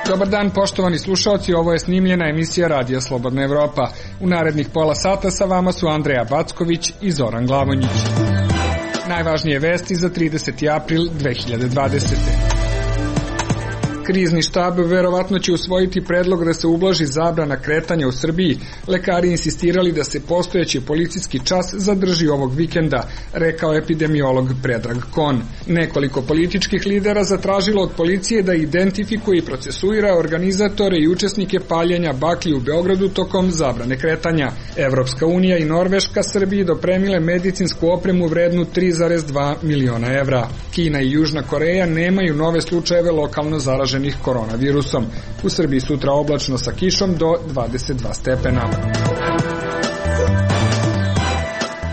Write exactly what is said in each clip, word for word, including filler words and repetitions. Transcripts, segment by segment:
Dobar dan, poštovani slušalci, ovo je snimljena emisija Radija Slobodna Evropa. U narednih pola sata sa vama su Andreja Backović i Zoran Glavonjić. Najvažnije vesti za trideseti april dve hiljade dvadesete. Krizni štab verovatno će usvojiti predlog da se ublaži zabrana kretanja u Srbiji. Lekari insistirali da se postojeći policijski čas zadrži ovog vikenda, rekao epidemiolog Predrag Kon. Nekoliko političkih lidera zatražilo od policije da identifikuje i procesuira organizatore i učesnike paljenja baklji u Beogradu tokom zabrane kretanja. Evropska unija i Norveška Srbiji dopremile medicinsku opremu vrednu tri zarez dva miliona evra. Kina i Južna Koreja nemaju nove slučajeve lokalno zaraženih koronavirusom. U Srbiji sutra oblačno sa kišom do dvadeset dva stepena.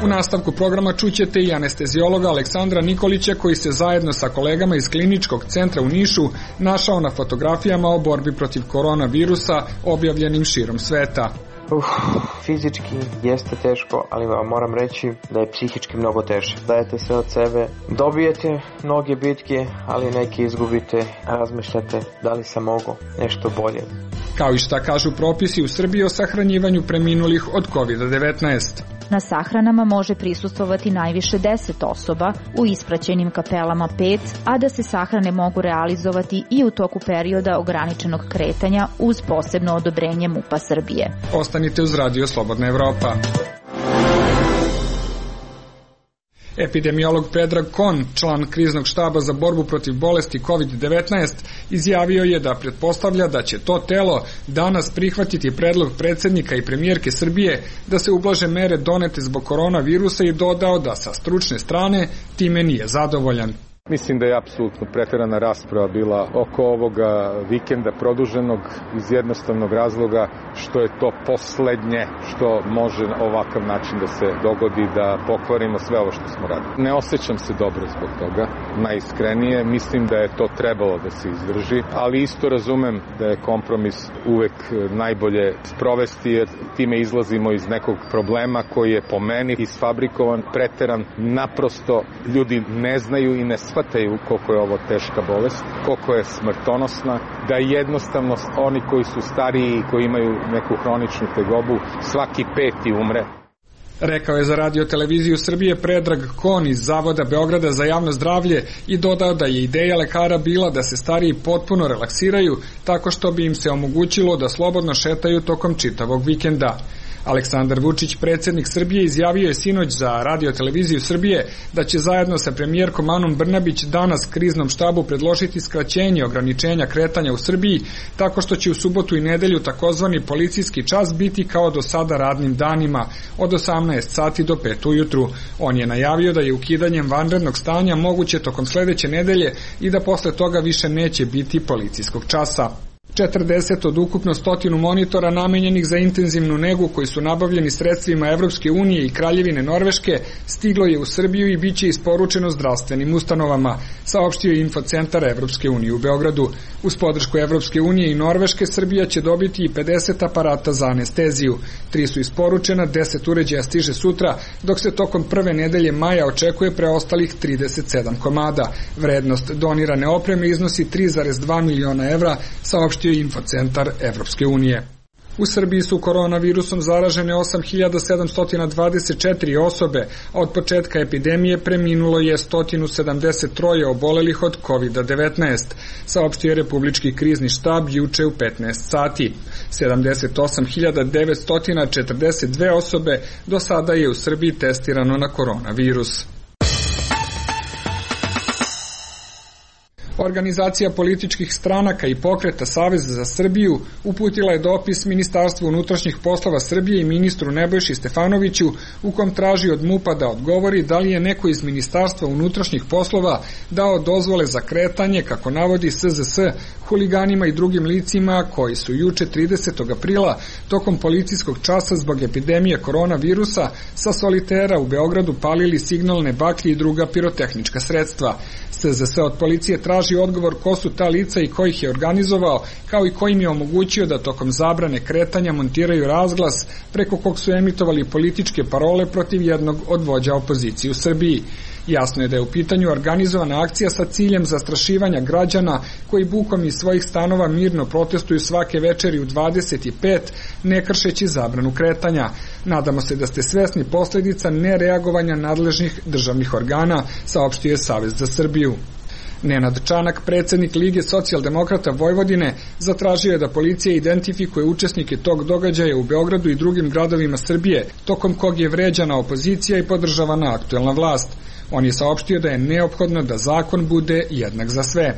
U nastavku programa čućete i anesteziologa Aleksandra Nikolića, koji se zajedno sa kolegama iz Kliničkog centra u Nišu našao na fotografijama o borbi protiv koronavirusa objavljenim širom sveta. Uf, fizički jeste teško, ali vam moram reći da je psihički mnogo teže. Dajete sve od sebe, dobijete mnoge bitke, ali neke izgubite, a razmišljate da li sam mogao nešto bolje. Kao i šta kažu propisi u Srbiji o sahranjivanju preminulih od kovid devetnaest. Na sahranama može prisustvovati najviše deset osoba, u ispraćenim kapelama pet, a da se sahrane mogu realizovati i u toku perioda ograničenog kretanja uz posebno odobrenje MUP-a Srbije. Ostanite uz Radio Slobodna Evropa. Epidemiolog Predrag Kon, član kriznog štaba za borbu protiv bolesti kovid devetnaest, izjavio je da pretpostavlja da će to telo danas prihvatiti predlog predsjednika i premijerke Srbije da se ublaže mere donete zbog koronavirusa i dodao da sa stručne strane time nije zadovoljan. Mislim da je apsolutno preterana rasprava bila oko ovoga vikenda produženog iz jednostavnog razloga što je to poslednje što može ovakav način da se dogodi, da pokvarimo sve ovo što smo radili. Ne osjećam se dobro zbog toga, najiskrenije, mislim da je to trebalo da se izdrži, ali isto razumem da je kompromis uvek najbolje sprovesti, jer time izlazimo iz nekog problema koji je po meni isfabrikovan, preteran, naprosto ljudi ne znaju i ne shvataju koliko je ovo teška bolest, koliko je smrtonosna, da jednostavno oni koji su stariji i koji imaju neku hroničnu tegobu, svaki peti umre. Rekao je za Radio televiziju Srbije Predrag Kon iz Zavoda Beograda za javno zdravlje i dodao da je ideja lekara bila da se stariji potpuno relaksiraju tako što bi im se omogućilo da slobodno šetaju tokom čitavog vikenda. Aleksandar Vučić, predsjednik Srbije, izjavio je sinoć za Radio televiziju Srbije da će zajedno sa premijerkom Anom Brnabić danas kriznom štabu predložiti skraćenje ograničenja kretanja u Srbiji tako što će u subotu i nedelju takozvani policijski čas biti kao do sada radnim danima od osamnaest sati do pet ujutru. On je najavio da je ukidanjem vanrednog stanja moguće tokom sledeće nedelje i da posle toga više neće biti policijskog časa. četrdeset od ukupno stotinu monitora namenjenih za intenzivnu negu koji su nabavljeni sredstvima Evropske unije i Kraljevine Norveške stiglo je u Srbiju i bit će isporučeno zdravstvenim ustanovama, saopštio je Infocentar Evropske unije u Beogradu. Uz podršku Evropske unije i Norveške Srbija će dobiti i pedeset aparata za anesteziju. Tri su isporučena, deset uređaja stiže sutra, dok se tokom prve nedelje maja očekuje preostalih trideset sedam komada. Vrednost donirane opreme iznosi tri zarez dva miliona evra, saopštio Infocentar Evropske unije. U Srbiji su koronavirusom zaražene osam hiljada sedamsto dvadeset četiri osobe, a od početka epidemije preminulo je sto sedamdeset tri obolelih od kovid devetnaest, saopštio je Republički krizni štab juče u petnaest sati. sedamdeset osam hiljada devetsto četrdeset dve osobe do sada je u Srbiji testirano na koronavirus. Organizacija političkih stranaka i pokreta Savez za Srbiju uputila je dopis Ministarstvu unutrašnjih poslova Srbije i ministru Nebojši Stefanoviću u kom traži od MUP-a da odgovori da li je neko iz Ministarstva unutrašnjih poslova dao dozvole za kretanje, kako navodi S Z S, huliganima i drugim licima koji su juče tridesetog aprila tokom policijskog časa zbog epidemije koronavirusa sa solitera u Beogradu palili signalne baklje i druga pirotehnička sredstva. S Z S od policije traži odgovor ko su ta lica i ko ih je organizovao, kao i ko im je omogućio da tokom zabrane kretanja montiraju razglas preko kog su emitovali političke parole protiv jednog od vođa opozicije u Srbiji. Jasno je da je u pitanju organizovana akcija sa ciljem zastrašivanja građana koji bukom iz svojih stanova mirno protestuju svake večeri u dvadeset pet, ne kršeći zabranu kretanja. Nadamo se da ste svesni posledica nereagovanja nadležnih državnih organa, saopštio je Savez za Srbiju. Nenad Čanak, predsednik Lige socijaldemokrata Vojvodine, zatražio je da policija identifikuje učesnike tog događaja u Beogradu i drugim gradovima Srbije, tokom kog je vređana opozicija i podržavana aktuelna vlast. On je saopštio da je neophodno da zakon bude jednak za sve.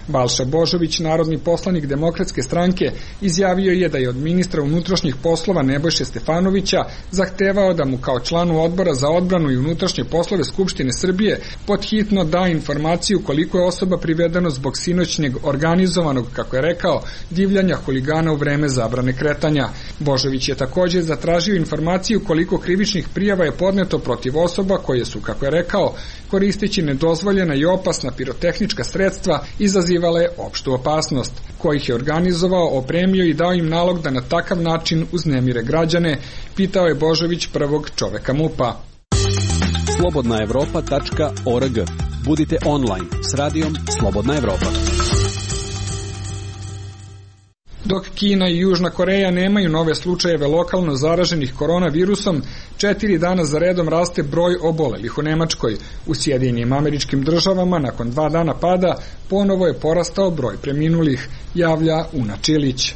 Balša Božović, narodni poslanik Demokratske stranke, izjavio je da je od ministra unutrašnjih poslova Nebojše Stefanovića zahtevao da mu kao članu odbora za odbranu i unutrašnje poslove Skupštine Srbije podhitno da informaciju koliko je osoba privedeno zbog sinoćnjeg organizovanog, kako je rekao, divljanja huligana u vreme zabrane kretanja. Božović je takođe zatražio informaciju koliko krivičnih prijava je podneto protiv osoba koje su, kako je rekao, koristeći nedozvoljena i opasna pirotehnička sredstva izazivale opštu opasnost, kojih je organizovao, opremio i dao im nalog da na takav način uznemire građane, pitao je Božović prvog čoveka MUP-a. slobodna evropa tačka org. Budite online s radijom Slobodna Evropa. Dok Kina i Južna Koreja nemaju nove slučajeve lokalno zaraženih koronavirusom, četiri dana za redom raste broj obolelih u Nemačkoj. U Sjedinjenim Američkim Državama nakon dva dana pada ponovo je porastao broj preminulih, javlja Una Čilić.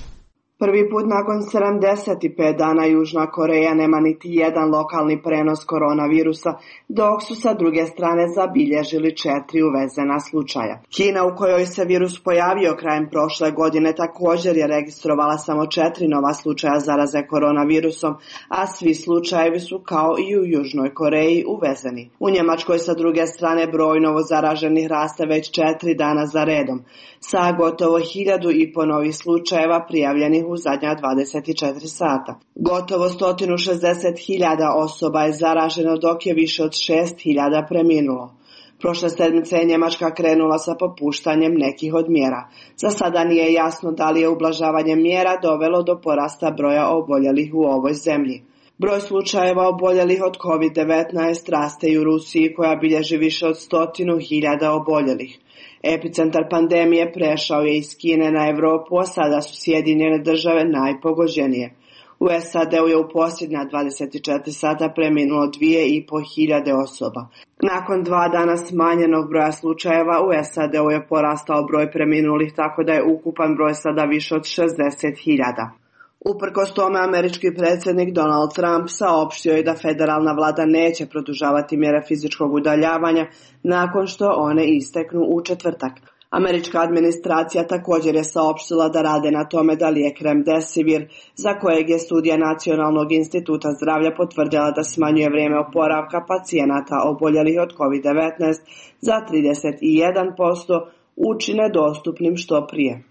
Prvi put nakon sedamdeset pet dana Južna Koreja nema niti jedan lokalni prenos koronavirusa, dok su sa druge strane zabilježili četiri uvezena slučaja. Kina, u kojoj se virus pojavio krajem prošle godine, također je registrovala samo četiri nova slučaja zaraze koronavirusom, a svi slučajevi su kao i u Južnoj Koreji uvezeni. U Njemačkoj sa druge strane broj novo zaraženih raste već četiri dana za redom, sa gotovo hiljadu i po novih slučajeva prijavljenih u zadnja dvadeset četiri sata. Gotovo sto šezdeset hiljada osoba je zaraženo, dok je više od šest hiljada preminulo. Prošle sedmice je Njemačka krenula sa popuštanjem nekih od mjera. Za sada nije jasno da li je ublažavanje mjera dovelo do porasta broja oboljelih u ovoj zemlji. Broj slučajeva oboljelih od kovid devetnaest raste i u Rusiji, koja bilježi više od stotinu hiljada oboljelih. Epicentar pandemije prešao je iz Kine na Evropu, a sada su Sjedinjene Države najpogođenije. U S A D-u je u posljednja dvadeset četiri sata preminulo dvije i po hiljade osoba. Nakon dva dana smanjenog broja slučajeva u S A D-u je porastao broj preminulih, tako da je ukupan broj sada više od šezdeset hiljada. Uprkos tome, američki predsjednik Donald Trump saopštio je da federalna vlada neće produžavati mjere fizičkog udaljavanja nakon što one isteknu u četvrtak. Američka administracija također je saopštila da rade na tome da lijek Remdesivir, za kojeg je studija Nacionalnog instituta zdravlja potvrdila da smanjuje vrijeme oporavka pacijenata oboljelih od kovid devetnaest za trideset jedan posto, učine dostupnim što prije.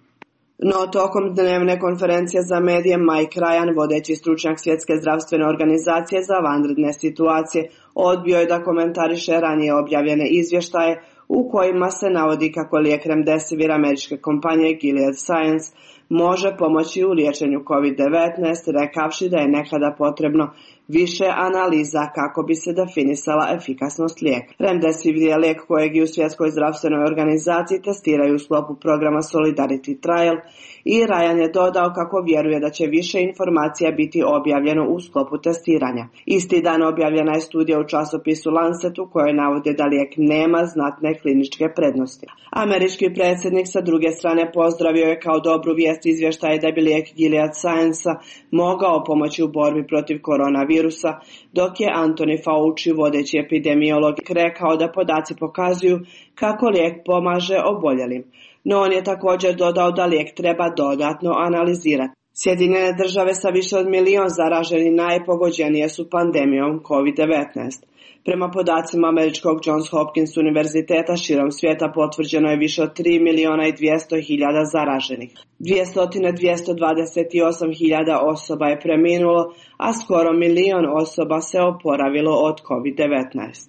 No, tokom dnevne konferencije za medije Mike Ryan, vodeći stručnjak Svjetske zdravstvene organizacije za vanredne situacije, odbio je da komentariše ranije objavljene izvještaje u kojima se navodi kako lijek Remdesivir američke kompanije Gilead Science može pomoći u liječenju kovid devetnaest, rekavši da je nekada potrebno više analiza kako bi se definisala efikasnost lijeka. Remdesivir je lijek kojeg i u Svjetskoj zdravstvenoj organizaciji testiraju u sklopu programa Solidarity Trial i Ryan je dodao kako vjeruje da će više informacija biti objavljeno u sklopu testiranja. Isti dan objavljena je studija u časopisu Lancet u kojoj navode da lijek nema znatne kliničke prednosti. Američki predsjednik sa druge strane pozdravio je kao dobru vijest izvještaje da bi lijek Gilead Science mogao pomoći u borbi protiv koronavirusa, dok je Anthony Fauci, vodeći epidemiolog, rekao da podaci pokazuju kako lijek pomaže oboljelim. No on je također dodao da lijek treba dodatno analizirati. Sjedinjene države sa više od milion zaraženih najpogođenije su pandemijom kovid devetnaest. Prema podacima američkog Johns Hopkins univerziteta širom svijeta potvrđeno je više od tri miliona i dvjesto hiljada zaraženih. dvjesto do dvjesto dvadeset osam hiljada osoba je preminulo, a skoro milion osoba se oporavilo od kovid devetnaest.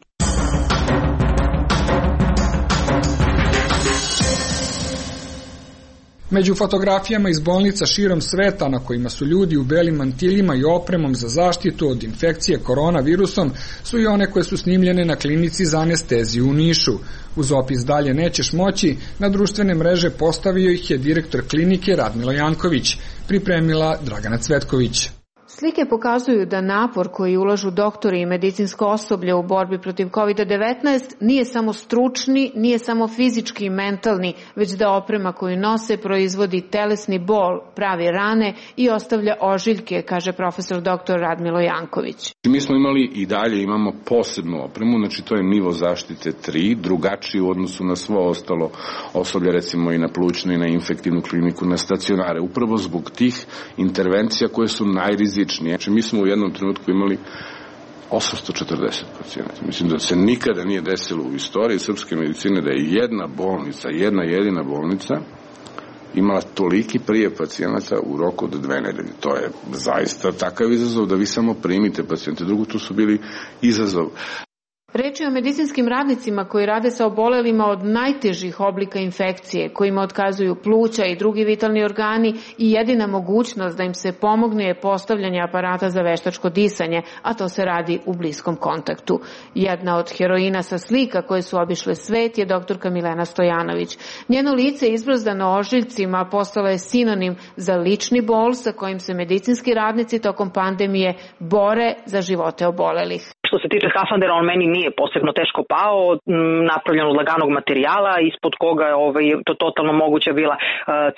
Među fotografijama iz bolnica širom sveta na kojima su ljudi u belim mantiljima i opremom za zaštitu od infekcije koronavirusom su i one koje su snimljene na klinici za anesteziju u Nišu. Uz opis dalje nećeš moći, na društvene mreže postavio ih je direktor klinike Radmilo Janković, pripremila Dragana Cvetković. Slike pokazuju da napor koji ulažu doktori i medicinsko osoblje u borbi protiv kovid devetnaest nije samo stručni, nije samo fizički i mentalni, već da oprema koju nose proizvodi telesni bol, pravi rane i ostavlja ožiljke, kaže profesor doktor Radmilo Janković. Mi smo imali i dalje imamo posebnu opremu, znači to je nivo zaštite tri, drugačiji u odnosu na svo ostalo osoblje, recimo i na plućnu i na infektivnu kliniku, na stacionare, upravo zbog tih intervencija koje su najrizičnije. Znači, mi smo u jednom trenutku imali osamsto četrdeset pacijenata. Mislim da se nikada nije desilo u istoriji srpske medicine da je jedna bolnica, jedna jedina bolnica imala toliki prijev pacijenata u roku od dve nedelje. To je zaista takav izazov da vi samo primite pacijente. Drugo, tu su bili izazov. Reč je o medicinskim radnicima koji rade sa obolelima od najtežih oblika infekcije, kojima otkazuju pluća i drugi vitalni organi i jedina mogućnost da im se pomogne je postavljanje aparata za veštačko disanje, a to se radi u bliskom kontaktu. Jedna od heroina sa slika koje su obišle svet je doktorka Milena Stojanović. Njeno lice izbrzdano ožiljcima postalo je sinonim za lični bol sa kojim se medicinski radnici tokom pandemije bore za živote obolelih. Što se tiče skafandera, on meni nije posebno teško pao, napravljen od laganog materijala, ispod koga je ovaj, to totalno moguća bila uh,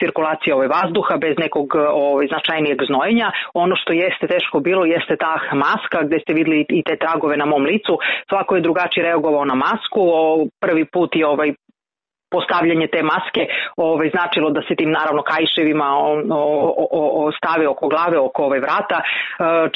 cirkulacija ovaj, vazduha bez nekog ovaj, značajnijeg znojenja. Ono što jeste teško bilo jeste ta maska gde ste videli i te tragove na mom licu. Svako je drugačije reagovao na masku. O, prvi put je ovaj postavljanje te maske ovaj, značilo da se tim naravno kaiševima o, o, o, o stave oko glave, oko ove vrata. E,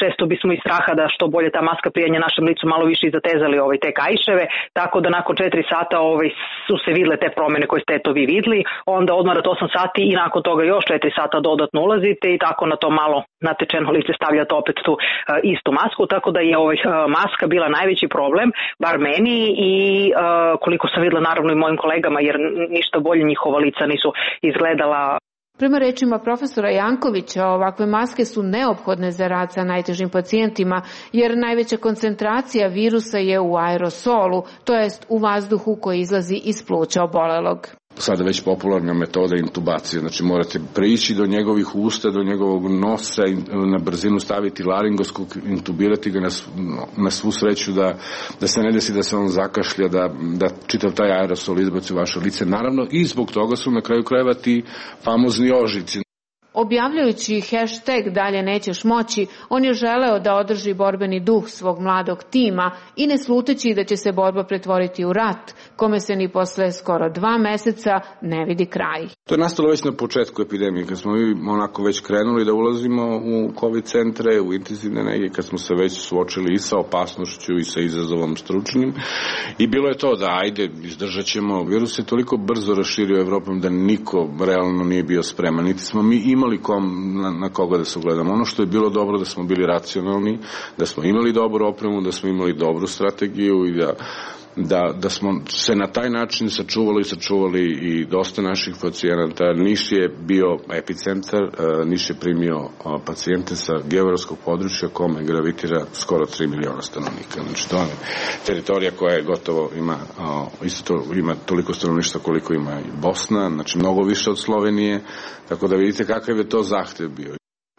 često bismo iz straha da što bolje ta maska prijanje našem licu malo više i zatezali ovaj, te kaiševe, tako da nakon četiri sata ovaj, su se vidle te promene koje ste to vi videli, onda odmarate osam sati i nakon toga još četiri sata dodatno ulazite i tako na to malo natečeno lice stavljate opet tu e, istu masku, tako da je ovaj, maska bila najveći problem, bar meni i e, koliko sam videla naravno i mojim kolegama, jer ništa bolje njihova lica nisu izgledala. Prema rečima profesora Jankovića, ovakve maske su neophodne za rad sa najtežim pacijentima, jer najveća koncentracija virusa je u aerosolu, to jest u vazduhu koji izlazi iz pluća obolelog. Sada već popularna metoda intubacije, znači morate prići do njegovih usta, do njegovog nosa i na brzinu staviti laringoskop, intubirati ga na, na svu sreću da, da se ne desi da se on zakašlja, da, da čitav taj aerosol izbaci u vaše lice. Naravno i zbog toga su na kraju krajeva ti famozni ožiljci. Objavljajući hashtag dalje nećeš moći, on je želeo da održi borbeni duh svog mladog tima i ne sluteći da će se borba pretvoriti u rat, kome se ni posle skoro dva meseca ne vidi kraj. To je nastalo već na početku epidemije, kad smo mi onako već krenuli da ulazimo u COVID centre, u intenzivne nege, kad smo se već suočili i sa opasnošću i sa izazovom stručnim. I bilo je to da ajde, izdržat ćemo. Virus je toliko brzo raširio Evropom da niko realno nije bio spreman. Niti smo mi imali imali kom, na, na koga da se ugledamo. Ono što je bilo dobro da smo bili racionalni, da smo imali dobru opremu, da smo imali dobru strategiju i da, da, da smo se na taj način sačuvali i sačuvali i dosta naših pacijenata. Niš je bio epicentar, Niš je primio pacijente sa geografskog područja kome gravitira skoro tri miliona stanovnika. Znači to je teritorija koja je gotovo ima, isto to, ima toliko stanovništva koliko ima i Bosna, znači mnogo više od Slovenije, tako da vidite kakav je to zahtev bio.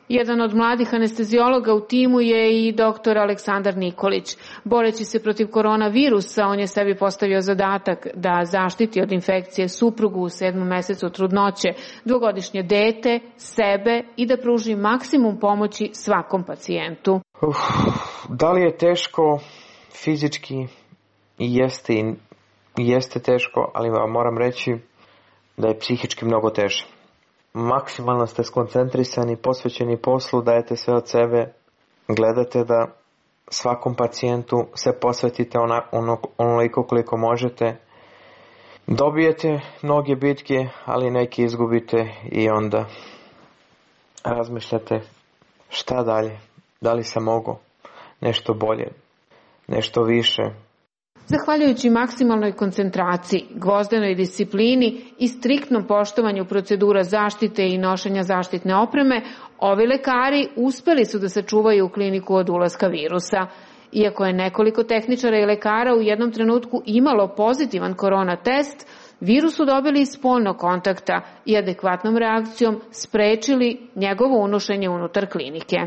Jedan od mladih anesteziologa u timu je i doktor Aleksandar Nikolić. Boreći se protiv koronavirusa, on je sebi postavio zadatak da zaštiti od infekcije suprugu u sedmom mesecu trudnoće, dvogodišnje dete, sebe i da pruži maksimum pomoći svakom pacijentu. Uf, da li je teško fizički? Jeste, i jeste teško, ali vam moram reći da je psihički mnogo teže. maksimalno ste skoncentrisani, posvećeni poslu, dajete sve od sebe, gledate da svakom pacijentu se posvetite ona, ono, onoliko koliko možete. Dobijete mnoge bitke, ali neke izgubite i onda razmišljate šta dalje, da li sam mogao nešto bolje, nešto više. Zahvaljujući maksimalnoj koncentraciji, gvozdenoj disciplini i striktnom poštovanju procedura zaštite i nošenja zaštitne opreme, ovi lekari uspeli su da sačuvaju kliniku od ulaska virusa. Iako je nekoliko tehničara i lekara u jednom trenutku imalo pozitivan korona test, virus su dobili iz spoljnog kontakta i adekvatnom reakcijom sprečili njegovo unošenje unutar klinike.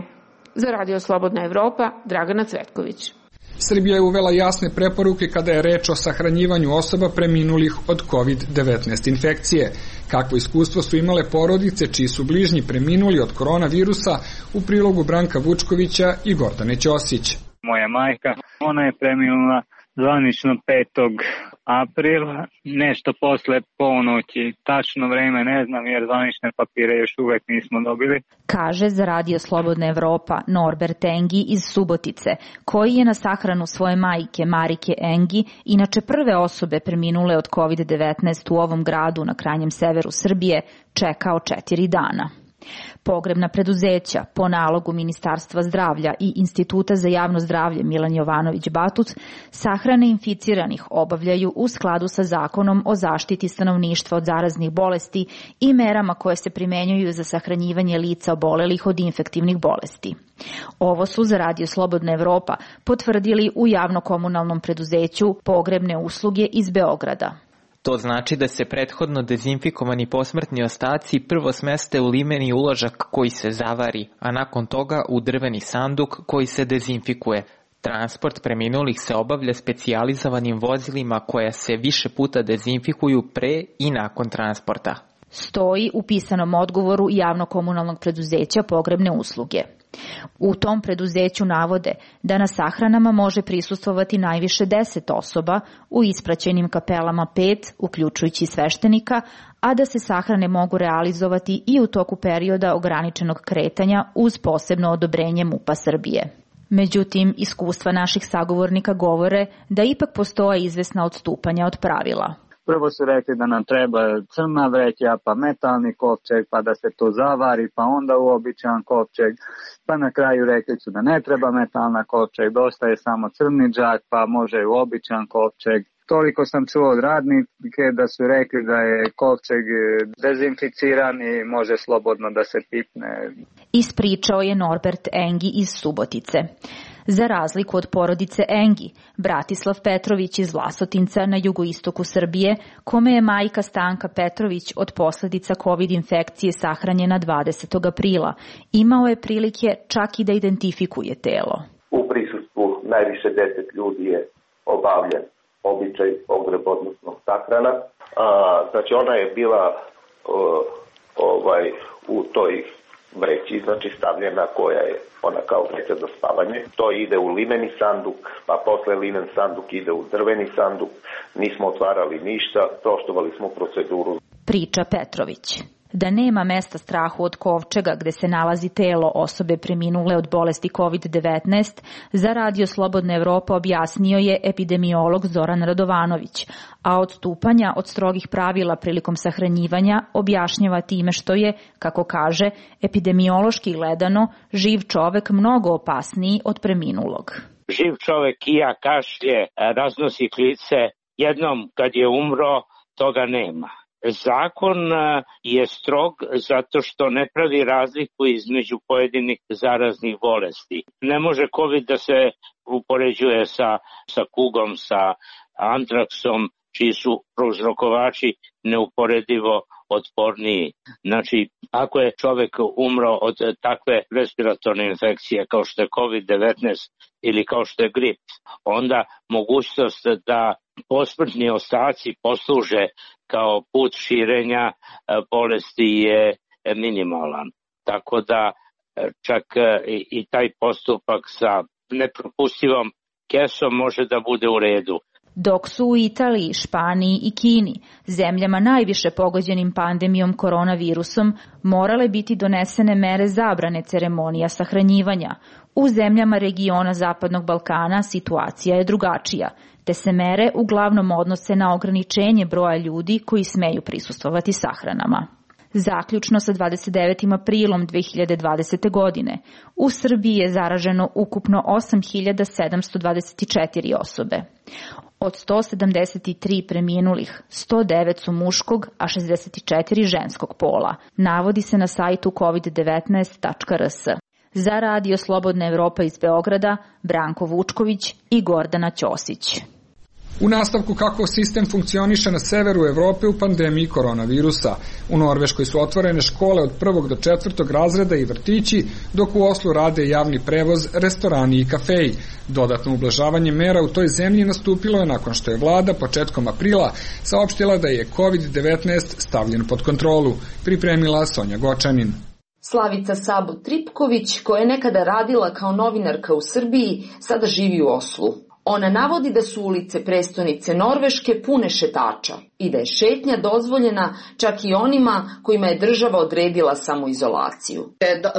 Za Radio Slobodna Evropa, Dragana Cvetković. Srbija je uvela jasne preporuke kada je reč o sahranjivanju osoba preminulih od kovid devetnaest infekcije. Kakvo iskustvo su imale porodice čiji su bližnji preminuli od koronavirusa, u prilogu Branka Vučkovića i Gordane Ćosić. Moja majka, ona je preminula zvanično petog aprila, nešto posle ponoći, tačno vreme ne znam jer zvanične papire još uvek nismo dobili. Kaže za Radio Slobodna Evropa Norbert Engi iz Subotice, koji je na sahranu svoje majke Marike Engi, inače prve osobe preminule od kovid devetnaest u ovom gradu na krajnjem severu Srbije, čekao četiri dana. Pogrebna preduzeća po nalogu Ministarstva zdravlja i Instituta za javno zdravlje Milan Jovanović Batuc sahrane inficiranih obavljaju u skladu sa Zakonom o zaštiti stanovništva od zaraznih bolesti i merama koje se primenjuju za sahranjivanje lica obolelih od infektivnih bolesti. Ovo su za Radio Slobodna Evropa potvrdili u javno-komunalnom preduzeću Pogrebne usluge iz Beograda. To znači da se prethodno dezinfikovani posmrtni ostaci prvo smeste u limeni uložak koji se zavari, a nakon toga u drveni sanduk koji se dezinfikuje. Transport preminulih se obavlja specijalizovanim vozilima koja se više puta dezinfikuju pre i nakon transporta. Stoji u pisanom odgovoru javno-komunalnog preduzeća Pogrebne usluge. U tom preduzeću navode da na sahranama može prisustvovati najviše deset osoba u ispraćenim kapelama pet, uključujući sveštenika, a da se sahrane mogu realizovati i u toku perioda ograničenog kretanja uz posebno odobrenje MUP-a Srbije. Međutim, iskustva naših sagovornika govore da ipak postoje izvesna odstupanja od pravila. Prvo su rekli da nam treba crna vreća, pa metalni kovčeg, pa da se to zavari, pa onda uobičajan kovčeg, pa na kraju rekli su da ne treba metalna kovčeg, dosta je samo crni džak, pa može uobičajan kovčeg. Toliko sam čuo od radnike da su rekli da je kovčeg dezinficiran i može slobodno da se pipne. Ispričao je Norbert Engi iz Subotice. Za razliku od porodice Engi, Bratislav Petrović iz Vlasotinca na jugoistoku Srbije, kome je majka Stanka Petrović od posledica COVID infekcije sahranjena dvadesetog aprila, imao je prilike čak i da identifikuje telo. U prisustvu najviše deset ljudi je obavljen običaj pogreb, odnosno sahrana. A, znači ona je bila o, ovaj, u toj vreći, znači stavljena koja je ona kao vreća za spavanje. To ide u limeni sanduk, pa posle limen sanduk ide u drveni sanduk. Nismo otvarali ništa, poštovali smo proceduru. Priča Petrović. Da nema mesta strahu od kovčega gde se nalazi telo osobe preminule od bolesti kovid devetnaest, za Radio Slobodna Evropa objasnio je epidemiolog Zoran Radovanović, a odstupanja od strogih pravila prilikom sahranjivanja objašnjava time što je, kako kaže, epidemiološki gledano, živ čovek mnogo opasniji od preminulog. Živ čovek kija, kašlje, raznosi klice, jednom kad je umro, toga nema. Zakon je strog zato što ne pravi razliku između pojedinih zaraznih bolesti. Ne može COVID da se upoređuje sa, sa kugom, sa antraksom, čiji su prouzrokovači neuporedivo otporniji. Znači, ako je čovek umro od takve respiratorne infekcije kao što je kovid devetnaest ili kao što je grip, onda mogućnost da posmrtni ostaci posluže kao put širenja bolesti je minimalan. Tako da čak i taj postupak sa nepropustivom kesom može da bude u redu. dok su u Italiji, Španiji i Kini, zemljama najviše pogođenim pandemijom koronavirusom, morale biti donesene mere zabrane ceremonija sahranjivanja. U zemljama regiona Zapadnog Balkana situacija je drugačija, te se mere uglavnom odnose na ograničenje broja ljudi koji smeju prisustvovati sahranama. Zaključno sa dvadeset devetim aprilom dve hiljade dvadesete. godine, u Srbiji je zaraženo ukupno osam hiljada sedamsto dvadeset četiri osobe. Od sto sedamdeset tri preminulih, sto devet su muškog, a šezdeset četiri ženskog pola, navodi se na sajtu kovid devetnaest tačka r s. Za Radio Slobodna Evropa iz Beograda, Branko Vučković i Gordana Ćosić. U nastavku kako sistem funkcioniše na severu Evrope u pandemiji koronavirusa. U Norveškoj su otvorene škole od prvog do četvrtog razreda i vrtići, dok u Oslu rade javni prevoz, restorani i kafeji. Dodatno ublažavanje mera u toj zemlji nastupilo je nakon što je vlada početkom aprila saopštila da je kovid devetnaest stavljen pod kontrolu. Pripremila Sonja Gočanin. Slavica Sabo Tripković, koja je nekada radila kao novinarka u Srbiji, sada živi u Oslu. Ona navodi da su ulice prestonice Norveške pune šetača i da je šetnja dozvoljena čak i onima kojima je država odredila samoizolaciju.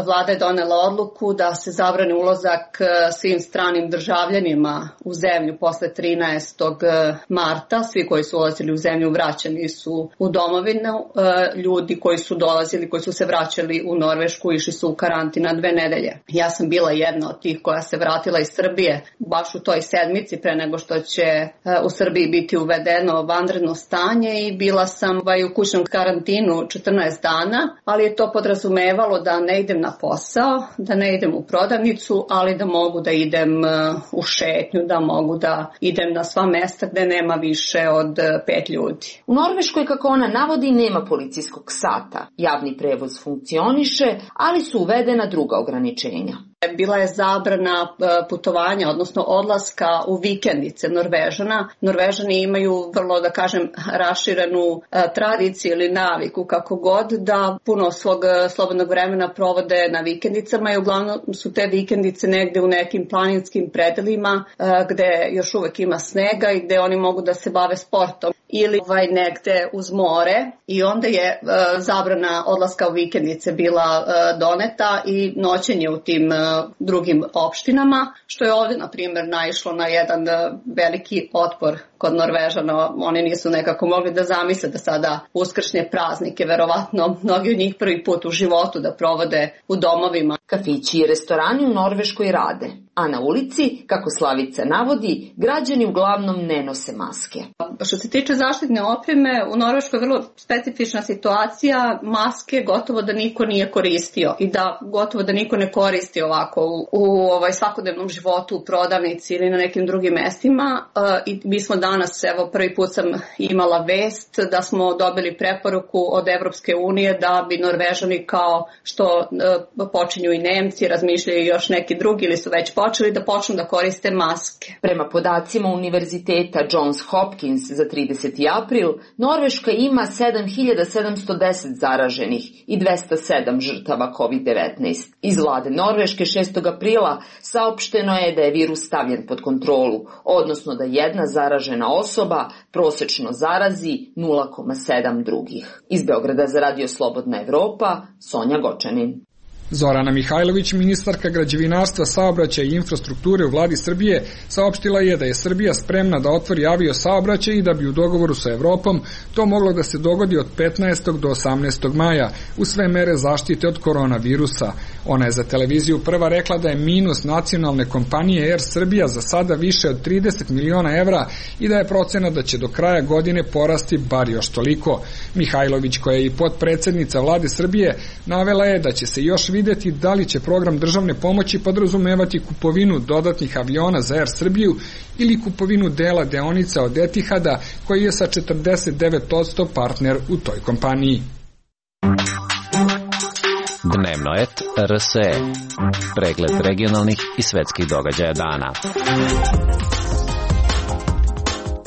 Vlada je donela odluku da se zabrani ulazak svim stranim državljanima u zemlju posle trinaestog marta. Svi koji su ulazili u zemlju vraćani su u domovinu. Ljudi koji su dolazili, koji su se vraćali u Norvešku, išli su u karantin na dve nedelje. Ja sam bila jedna od tih koja se vratila iz Srbije baš u toj sedmici pre nego što će u Srbiji biti uvedeno vanredno stanje i bila sam u kućnom karantinu četrnaest dana, ali je to podrazumevalo da ne idem na posao, da ne idem u prodavnicu, ali da mogu da idem u šetnju, da mogu da idem na sva mesta gde nema više od pet ljudi. U Norveškoj, kako ona navodi, nema policijskog sata. Javni prevoz funkcioniše, ali su uvedena druga ograničenja. Bila je zabrana putovanja, odnosno odlaska u vikendice Norvežana. Norvežani imaju vrlo, da kažem, raširenu tradiciju ili naviku, kako god, da puno svog slobodnog vremena provode na vikendicama i uglavnom su te vikendice negde u nekim planinskim predelima gde još uvek ima snega i gde oni mogu da se bave sportom ili ovaj, negde uz more, i onda je uh, zabrana odlaska u vikendice bila uh, doneta i noćenje u tim uh, drugim opštinama, što je ovde, na primjer, naišlo na jedan uh, veliki otpor kod Norvežana. Oni nisu nekako mogli da zamisle da sada uskršnje praznike, verovatno mnogi od njih prvi put u životu da provode u domovima. Kafići i restorani u Norveškoj rade, a na ulici, kako Slavica navodi, građani uglavnom ne nose maske. Što se tiče zaštitne opreme, u Norveškoj je vrlo specifična situacija. Maske gotovo da niko nije koristio i da gotovo da niko ne koristi ovako u, u ovaj svakodnevnom životu, u prodavnici ili na nekim drugim mestima. I mi smo danas, evo prvi put sam imala vest da smo dobili preporuku od Evropske unije da bi Norvežani, kao što počinju i Nemci, razmišljaju još neki drugi ili su već počeli da počnu da koriste maske. Prema podacima Univerziteta Johns Hopkins za trideseti april, Norveška ima sedam hiljada sedamsto deset zaraženih i dvesta sedam žrtava kovid devetnaest. Iz vlade Norveške šestog aprila saopšteno je da je virus stavljen pod kontrolu, odnosno da jedna zaražena osoba prosečno zarazi nula zarez sedam drugih. Iz Beograda za Radio Slobodna Evropa, Sonja Gočanin. Zorana Mihajlović, ministarka građevinarstva, saobraćaja i infrastrukture u vladi Srbije, saopštila je da je Srbija spremna da otvori avio saobraćaj i da bi u dogovoru sa Evropom to moglo da se dogodi od petnaestog do osamnaestog maja u sve mere zaštite od koronavirusa. Ona je za televiziju Prva rekla da je minus nacionalne kompanije Air Srbija za sada više od trideset miliona evra i da je procena da će do kraja godine porasti bar još toliko. Mihajlović, koja je i potpredsednica vlade Srbije, navela je da će se još videti da li će program državne pomoći podrazumevati kupovinu dodatnih aviona za Air Srbiju ili kupovinu dela deonica od Etihada, koji je sa četrdeset devet posto partner u toj kompaniji. Dnevno et R S E. Pregled regionalnih i svetskih događaja dana.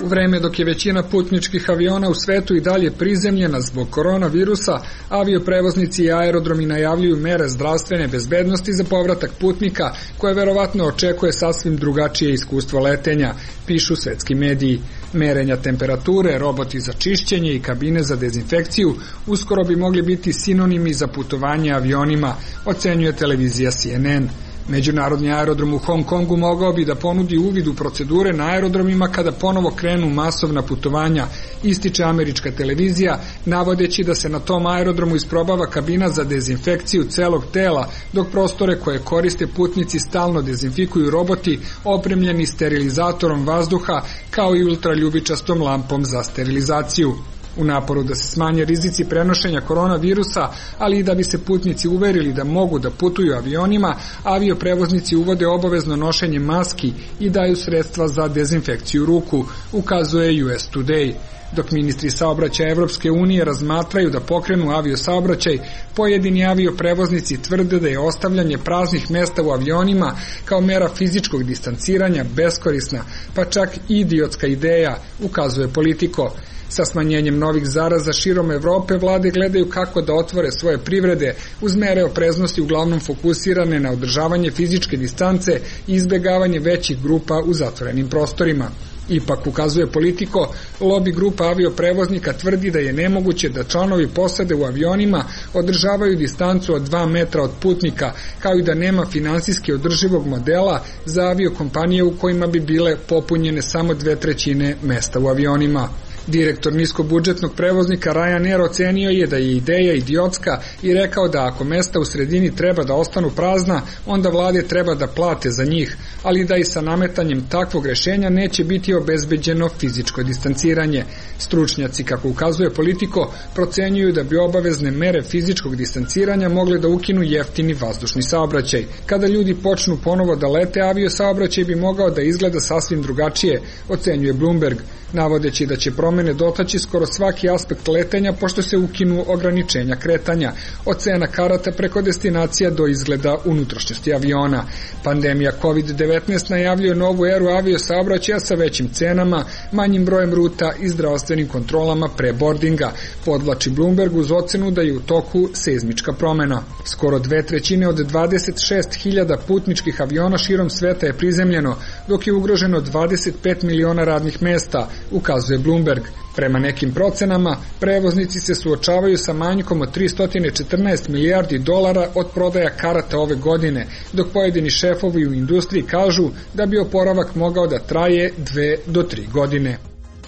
U vreme dok je većina putničkih aviona u svetu i dalje prizemljena zbog koronavirusa, avioprevoznici i aerodromi najavljuju mere zdravstvene bezbednosti za povratak putnika, koje verovatno očekuje sasvim drugačije iskustvo letenja, pišu svetski mediji. Merenja temperature, roboti za čišćenje i kabine za dezinfekciju uskoro bi mogli biti sinonimi za putovanje avionima, ocenjuje televizija C N N. Međunarodni aerodrom u Hong Kongu mogao bi da ponudi uvid u procedure na aerodromima kada ponovo krenu masovna putovanja, ističe američka televizija, navodeći da se na tom aerodromu isprobava kabina za dezinfekciju celog tela, dok prostore koje koriste putnici stalno dezinfikuju roboti opremljeni sterilizatorom vazduha kao i ultraljubičastom lampom za sterilizaciju. U naporu da se smanje rizici prenošenja koronavirusa, ali i da bi se putnici uverili da mogu da putuju avionima, avioprevoznici uvode obavezno nošenje maski i daju sredstva za dezinfekciju ruku, ukazuje U S Today. Dok ministri saobraćaja Evropske unije razmatraju da pokrenu aviosaobraćaj, pojedini avioprevoznici tvrde da je ostavljanje praznih mesta u avionima kao mera fizičkog distanciranja beskorisna, pa čak i idiotska ideja, ukazuje Politico. Sa smanjenjem novih zaraza širom Evrope vlade gledaju kako da otvore svoje privrede uz mere opreznosti uglavnom fokusirane na održavanje fizičke distance i izbegavanje većih grupa u zatvorenim prostorima. Ipak, ukazuje Politico, lobi grupa avioprevoznika tvrdi da je nemoguće da članovi posade u avionima održavaju distancu od dva metra od putnika, kao i da nema finansijski održivog modela za aviokompanije u kojima bi bile popunjene samo dve trećine mesta u avionima. Direktor niskobudžetnog prevoznika Ryanair ocenio je da je ideja idiotska i rekao da ako mesta u sredini treba da ostanu prazna, onda vlade treba da plate za njih, ali da i sa nametanjem takvog rešenja neće biti obezbeđeno fizičko distanciranje. Stručnjaci, kako ukazuje Politico, procenjuju da bi obavezne mere fizičkog distanciranja mogle da ukinu jeftini vazdušni saobraćaj. Kada ljudi počnu ponovo da lete, aviosaobraćaj bi mogao da izgleda sasvim drugačije, ocenjuje Bloomberg, navodeći da će promene dotaći skoro svaki aspekt letenja pošto se ukinu ograničenja kretanja, od cena karata preko destinacija do izgleda unutrašnjosti aviona. Pandemija kovid devetnaest najavljuje novu eru aviosaobraćaja sa većim cenama, manjim brojem ruta i zdravstvenim kontrolama pre boardinga, podvlači Bloomberg uz ocenu da je u toku seizmička promena. Skoro dve trećine od dvadeset šest hiljada putničkih aviona širom sveta je prizemljeno, dok je ugroženo dvadeset pet miliona radnih mesta, ukazuje Bloomberg. Prema nekim procenama, prevoznici se suočavaju sa manjkom od tristo četrnaest milijardi dolara od prodaja karata ove godine, dok pojedini šefovi u industriji kažu da bi oporavak mogao da traje dve do tri godine.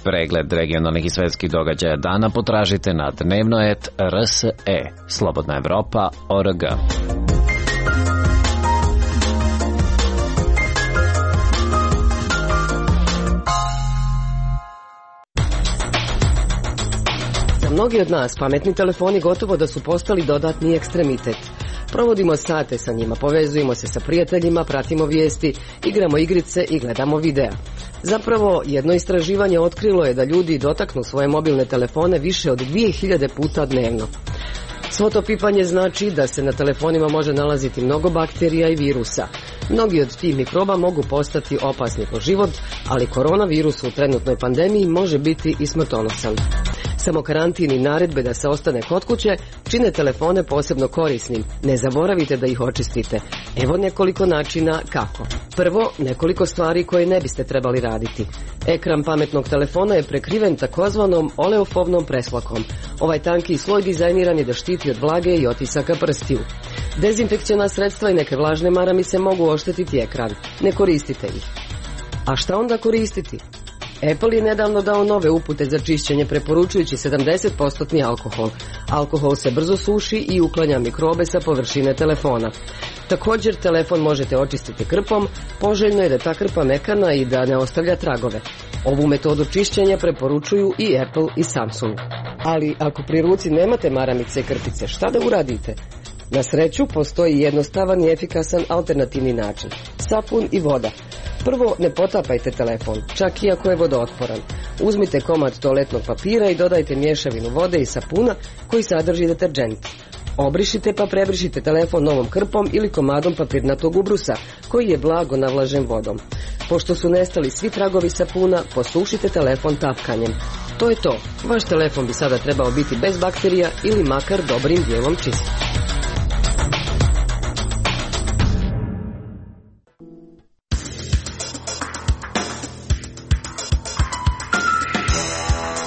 Pregled regionalnih i svetskih događaja dana potražite na dnevno et r s e, Slobodna Evropa o r g. Mnogi od nas pametni telefoni gotovo da su postali dodatni ekstremitet. Provodimo sate sa njima, povezujemo se sa prijateljima, pratimo vijesti, igramo igrice i gledamo videa. Zapravo, jedno istraživanje otkrilo je da ljudi dotaknu svoje mobilne telefone više od dvije hiljade puta dnevno. Svo to pipanje znači da se na telefonima može nalaziti mnogo bakterija i virusa. Mnogi od tih mikroba mogu postati opasni po život, ali koronavirus u trenutnoj pandemiji može biti i smrtonosan. Samo karantin i naredbe da se ostane kod kuće čine telefone posebno korisnim. Ne zaboravite da ih očistite. Evo nekoliko načina kako. Prvo, nekoliko stvari koje ne biste trebali raditi. Ekran pametnog telefona je prekriven takozvanom oleofobnom preslakom. Ovaj tanki sloj dizajniran je da štiti od vlage i otisaka prstiju. Dezinfekciona sredstva i neke vlažne maramice mogu oštetiti ekran. Ne koristite ih. A šta onda koristiti? Apple je nedavno dao nove upute za čišćenje preporučujući sedamdeset posto alkohol. Alkohol se brzo suši i uklanja mikrobe sa površine telefona. Također, telefon možete očistiti krpom, poželjno je da ta krpa mekana i da ne ostavlja tragove. Ovu metodu čišćenja preporučuju i Apple i Samsung. Ali ako pri ruci nemate maramice i krpice, šta da uradite? Na sreću, postoji jednostavan i efikasan alternativni način. Sapun i voda. Prvo, ne potapajte telefon, čak i ako je vodootporan. Uzmite komad toaletnog papira i dodajte mješavinu vode i sapuna koji sadrži deterdžent. Obrišite pa prebrišite telefon novom krpom ili komadom papirnatog ubrusa koji je blago navlažen vodom. Pošto su nestali svi tragovi sapuna, posušite telefon tapkanjem. To je to. Vaš telefon bi sada trebao biti bez bakterija ili makar dobrim dijelom čist.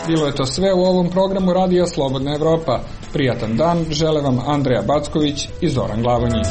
Bilo je to sve u ovom programu Radija Slobodna Evropa. Prijatan dan žele vam Andreja Backović i Zoran Glavonjić.